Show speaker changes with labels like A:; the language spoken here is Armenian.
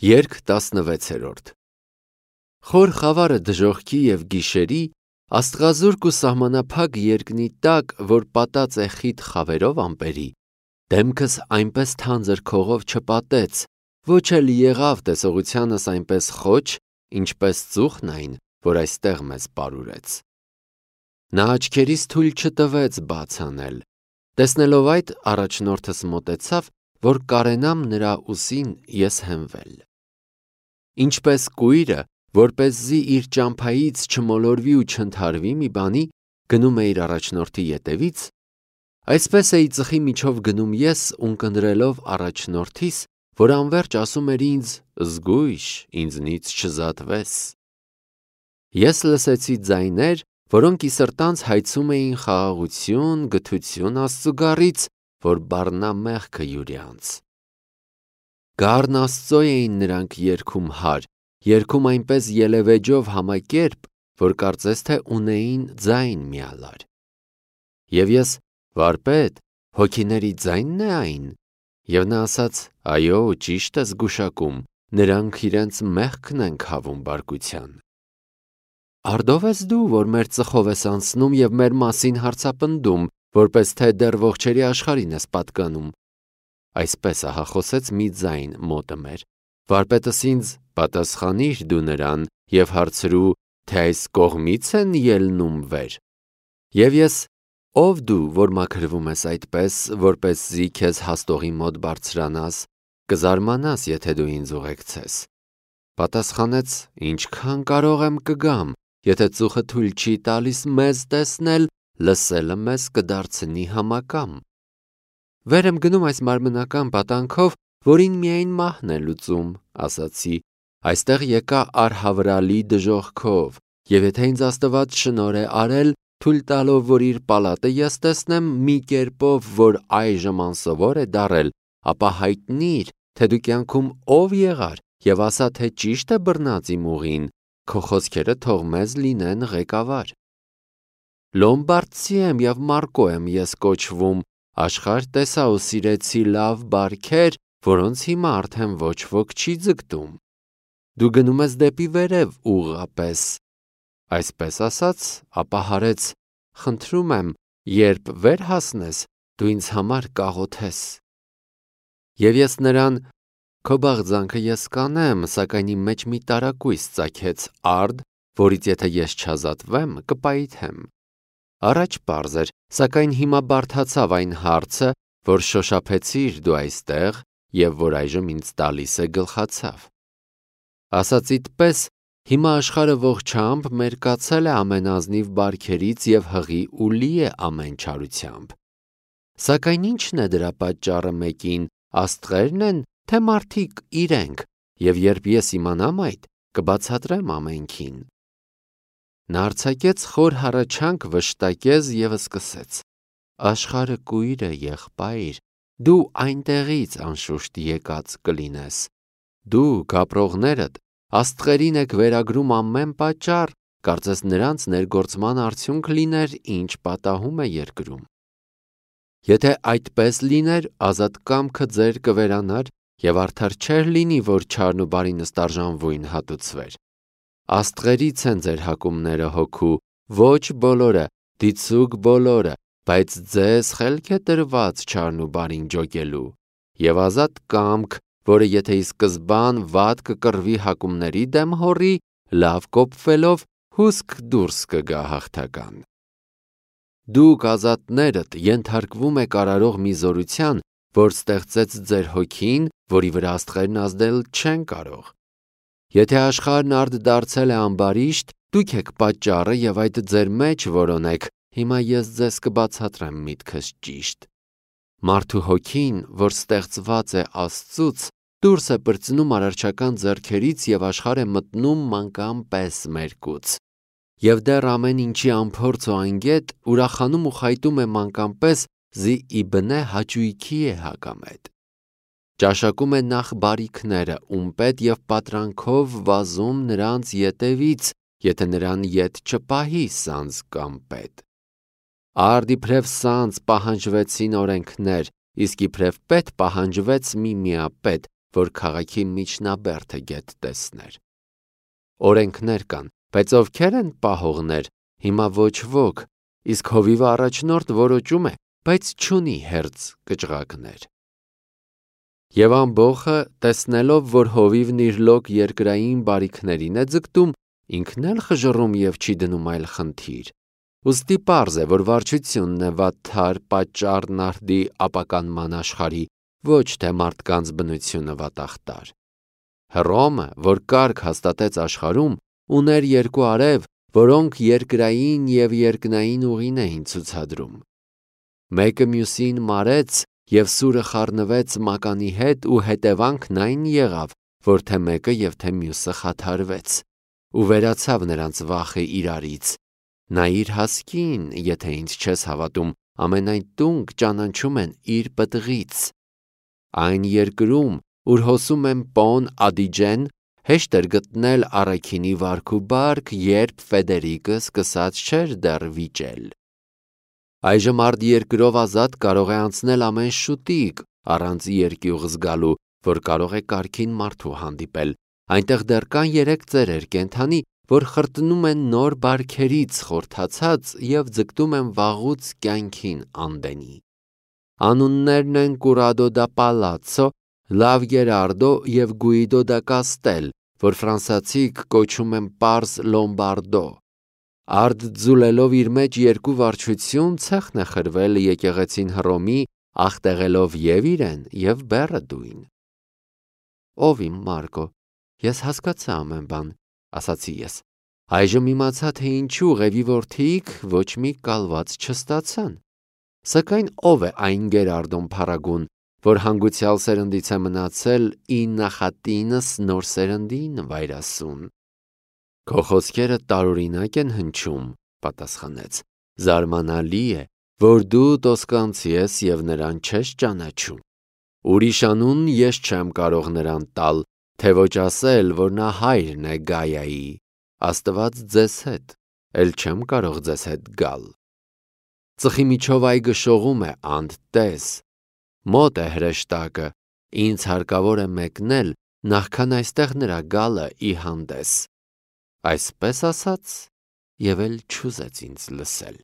A: Երգ 16-րդ Խոր խավարը դժոխքի և գիշերի, աստղազուրկ ու սահմանափակ երկնի տակ, որ պատած է խիտ խավերով ամպերի, դեմքս այնպես թանձր քողով չպատեց, ոչ էլ եղավ տեսողությանս այնպես խոչ, ինչպես ծուխն այն, որ այստեղ մեզ պարուրեց: Նա աչքերիս թույլ չտվեց բաց անել, տեսնելով այդ, առաջնորդս մոտեցավ, որ կարենամ նրա ուսին ես հենվել: Ինչպես կույրը, որպեսզի իր ճամփայից չմոլորվի ու չընդհարվի մի բանի, գնում է իր առաջնորդի ետևից, այսպես էի ծխի միջով գնում ես, ունկնդրելով առաջնորդիս, որ անվերջ ասում էր ինձ. «Զգույշ, ինձնից չզատվես»: Ես լսեցի ձայներ, որոնք ի սրտանց հայցում էին խաղաղություն, գթություն Աստծուգառից, որ բառնա մեղքը հյուրյանց: Գառն Աստծո էին նրանք երգում հարկ, երգում այնպես ելևէջով համակերպ, որ կարծես թե ունեին ձայն միալար: Եվ ես. «Վարպետ, հոգիների ձայնն է այն»: Եվ նա ասաց. «Այո, ճիշտ ես գուշակում, նրանք իրենց մեղքն են քավում բարկության»: Արդո՞վ ես դու, որ մեր ծխով ես անցնում և մեր մասին հարցապնդում, որպես թե դեռ ողջերի աշխարհին ես պատկանում: Այսպես ահա խոսեց մի ձայն մոտը մեր: Վարպետս ինձ. «Պատասխանիր դու նրան և հարցրու, թե այս կողմի՞ց են ելնում վեր»: Եվ ես. «Ո՞վ դու, որ մաքրվում ես այդպես, որպեսզի քեզ հաստողի մոտ բարձրանաս, կզարմանաս, եթե դու ինձ ուղեկցես»: Պատասխանեց. «Ինչքան կարող եմ կգամ, եթե ծուխը թույլ չի տալիս մեզ տեսնել, լսելը մեզ կդարձնի համակամ»: Վեր եմ գնում այս մարմնական պատանքով, որին միայն մահն է լուծում, ասացի. այստեղ եկա արհավրալի դժոխքով, և եթե ինձ Աստված շնորհ է արել, թույլ տալով, որ իր պալատը ես տեսնեմ մի կերպով, որ այժմ անսովոր է դառել, ապա հայտնիր, թե դու կյանքում ով եղար և ասա, թե ճիշտ է բռնած իմ ուղին, քո խոսքերը թող մեզ լինեն ղեկավար: Լոմբարդցի եմ և Մարկո եմ ես կոչվում, աշխարհ տեսա ու սիրեցի լավ բարքեր, որոնց հիմա արդեն ոչ ոք չի ձգտում: Դու գնում ես դեպի վերև ուղղապես: Այսպես ասաց, ապա հարեց. խնդրում եմ, երբ վեր հասնես, դու ինձ համար կաղոթես: Եվ ես նրան. քո բաղձանքը ես կանեմ, սակայն իմ մեջ մի տարակույս ծագեց արդ, որից եթե ես չազատվեմ, կպայթեմ: Առաջ պարզ էր, սակայն հիմա բարդացավ այն հարցը, որ շոշափեցիր դու այստեղ և որ այժմ ինձ տալիս է գլխացավ: Ասածիդ պես, հիմա աշխարհը ողջամբ մերկացել է ամենազնիվ բարքերից և հղի ու լի է ամեն չարությամբ: Սակայն ի՞նչն է դրա պատճառը մեկին, աստղե՞րն են, թե մարդիկ իրենք, և երբ ես իմանամ այդ, կբացատրեմ ամենքին: Նա արձակեց խոր հառաչանք վշտակեց և սկսեց. Աշխարհը կույր է, եղբայր, դու այնտեղից անշուշտ եկած կլինես: Դուք ապրողներդ աստղերին եք վերագրում ամեն պատճառ, կարծես նրանց ներգործման արդյունք լիներ, ինչ պատահում է երկրում: Եթե այդպես լիներ, ազատ կամքը ձեր կվերանար և արդար չէր լինի, որ չարն ու բարին ստարժանվույն հատուցվեր: Աստղերից են ձեր հակումները հոգու, ոչ բոլորը, դիցուք բոլորը, բայց ձեզ խելք է տրված չարն ու բարին ջոկելու: Եվ ազատ կամք, որը եթե ի սկզբան վատ կկռվի հակումների դեմ հոռի, լավ կոփվելով հուսք դուրս կգա հաղթական: Դուք ազատներդ ենթարկվում եք արարող մի զորության, որ ստեղծեց ձեր հոգին, որի վրա աստղերն ազդել չեն կարող: Եթե աշխարհն արդ դարձել է ամբարիշտ, դուք եք պատճառը և այդ ձեր մեջ որոնեք, հիմա ես ձեզ կբացատրեմ միտքս ճիշտ: Մարդու հոգին, որ ստեղծված է Աստծուց, դուրս է պրծնում արարչական ձեռքերից և աշխարհ է մտնում մանկան պես մերկուց: Եվ դեռ ամեն ինչի անփորձ ու անգետ, ուրախանում ու խայտում է մանկան պես զի իբնե հաճույքի է հակամետ: Ճաշակում է նախ բարիքները, ում պետ և պատրանքով վազում նրանց ետևից, եթե նրան ետ չպահի սանձ կամ պետ: Արդ իբրև սանձ պահանջվեցին օրենքներ, իսկ իբրև պետ պահանջվեց մի միապետ, որ քաղաքի միջնաբերդը գետ տեսներ։ Օրենքներ կան, բայց ովքեր են պահողներ, հիմա ոչ ոք, իսկ հովիվը առաջնորդ որոճում է, բայց չունի հերձ կճղակներ։ Եվ ամբոխը, տեսնելով, որ հովիվն իր լոկ երկրային բարիքներին է ձգտում, ինքն էլ խժռում և չի դնում այլ խնդիր։ Ուստի պարզ է, որ վարչությունն է վատթար պատճառն արդի ապականման աշխարհի, ոչ թե մարդկանց բնությունը վատախտար։ Հռոմը, որ կարգ հաստատեց աշխարհում, ուներ երկու արև, որոնք երկրային և երկնային ուղին էին ցուցադրում։ Մեկը մյուսին մարեց և սուրը խառնվեց մականի հետ ու հետևանքն այն եղավ, որ թե մեկը և թե մյուսը խաթարվեց, ու վերացավ նրանց վախը իրարից։ Նայիր հասկին, եթե ինձ չես հավատում, ամենայն տունկ ճանաչում են իր պտղից։ Այն երկրում, ուր հոսում են Պոն Ադիջեն, հեշտ էր գտնել առաքինի վարք ու բարք, երբ Ֆեդերիկը սկսած չէր դեռ վիճել։ Այժմ արտերկրով ազատ կարող է անցնել ամեն շուտիկ, առանց երկյուղ զգալու, որ կարող է կարգին մարդու հանդիպել։ Այնտեղ դեռ կան 3 ծերեր կենդանի, որ խրտնում են նոր բարքերից խորթացած և ձգտում են վաղուց կյանքին անդենի։ Անուններն են Կուրադո դա Պալացո, Լավ Գերարդո և Գուիդո դա Կաստել, որ ֆրանսիացիք կոչում են պարզ Լոմբարդո։ Արդ ձուլելով իր մեջ երկու վարչություն, ցեխն է խրվել եկեղեցին Հռոմի, աղտեղելով և իրեն, և բեռը դույն։ Ով իմ Մարկո, ես հասկացա ամեն բան, ասացի ես։ Այժմ իմացա, թե ինչու Ղևի որդիք ոչ մի կալված չստացան։ Սակայն ով է այն Գերարդոն փառագուն, որ հանգուցյալ սերնդից է մնացել ի նախատինս նոր սերնդի նվայրասուն։ Քո խոսքերը տարօրինակ են հնչում, պատասխանեց։ Զարմանալի է, որ դու տոսկանցի ես և նրան չես ճանաչում։ Ուրիշ անուն ես չեմ կարող նրան տալ, թե ոչ ասել, որ նա հայրն է Գայայի։ Աստված ձեզ հետ, էլ չեմ կարող ձեզ հետ գալ։ Ծխի միջով այգը շողում է, անդ մոտ է հրեշտակը, ինձ հարկավոր է մեկնել, նախքան այստեղ նրա գալը ի հանդես։ Այսպես ասաց, և էլ չուզեց ինձ լսել։